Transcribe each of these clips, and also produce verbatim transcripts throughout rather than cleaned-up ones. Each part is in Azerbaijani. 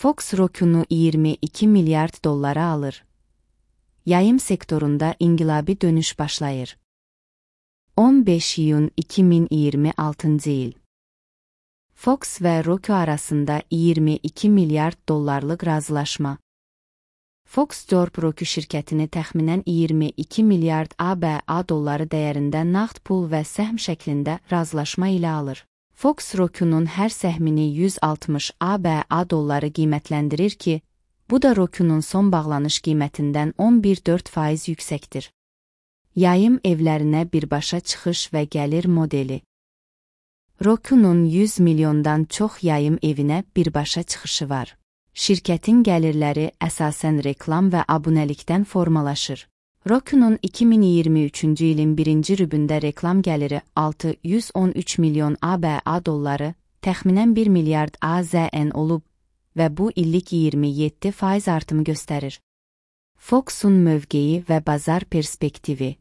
Fox Roku'nu iyirmi iki milyard dollara alır. Yayım sektorunda inqilabi dönüş başlayır. on beş iyun iki min iyirmi altıncı il. Fox ve Roku arasında iyirmi iki milyard dollarlıq razılaşma. Fox Corp Roku şirkətini təxminən iyirmi iki milyard A B A dolları dəyərində nağd pul və səhm şəklində razılaşma ilə alır. Fox Roku'nun hər səhmini yüz altmış A B A dolları qiymətləndirir ki, bu da Roku'nun son bağlanış qiymətindən on bir nöqtə dörd faiz yüksəkdir. Yayım evlərinə birbaşa çıxış və gəlir modeli. Roku'nun yüz milyondan çox yayım evinə birbaşa çıxışı var. Şirkətin gəlirləri əsasən reklam və abunəlikdən formalaşır. Roku'nun iki min iyirmi üçüncü ilin birinci rübündə reklam gəliri altı yüz on üç milyon A B A dolları, təxminən bir milyard A Z N olub və bu illik iyirmi yeddi faiz artımı göstərir. Fox'un mövqeyi və bazar perspektivi.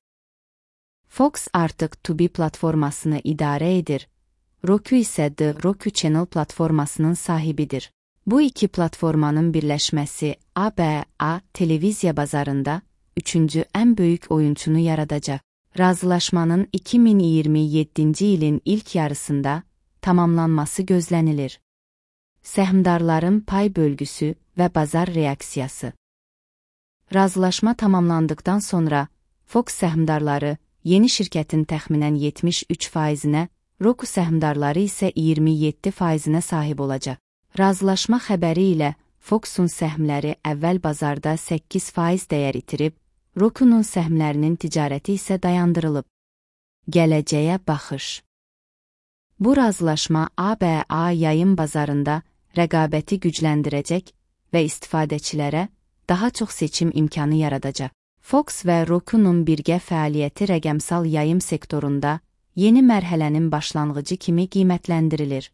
Fox artıq Tubi platformasını idarə edir. Roku isə The Roku Channel platformasının sahibidir. Bu iki platformanın birləşməsi A B A televiziya bazarında üçüncü ən böyük oyunçunu yaradacaq. Razılaşmanın iki min iyirmi yeddinci ilin ilk yarısında tamamlanması gözlənilir. Səhmdarların pay bölgüsü və bazar reaksiyası. Razılaşma tamamlandıqdan sonra Fox səhmdarları yeni şirkətin təxminən yetmiş üç faizinə, Roku səhmdarları isə iyirmi yeddi faizinə sahib olacaq. Razılaşma xəbəri ilə Fox'un səhmləri əvvəl bazarda səkkiz faiz dəyər itirib, Roku'nun səhmlərinin ticarəti isə dayandırılıb. Gələcəyə baxış. Bu razılaşma A B A yayım bazarında rəqabəti gücləndirəcək və istifadəçilərə daha çox seçim imkanı yaradacaq. Fox və Roku'nun birgə fəaliyyəti rəqəmsal yayım sektorunda yeni mərhələnin başlanğıcı kimi qiymətləndirilir.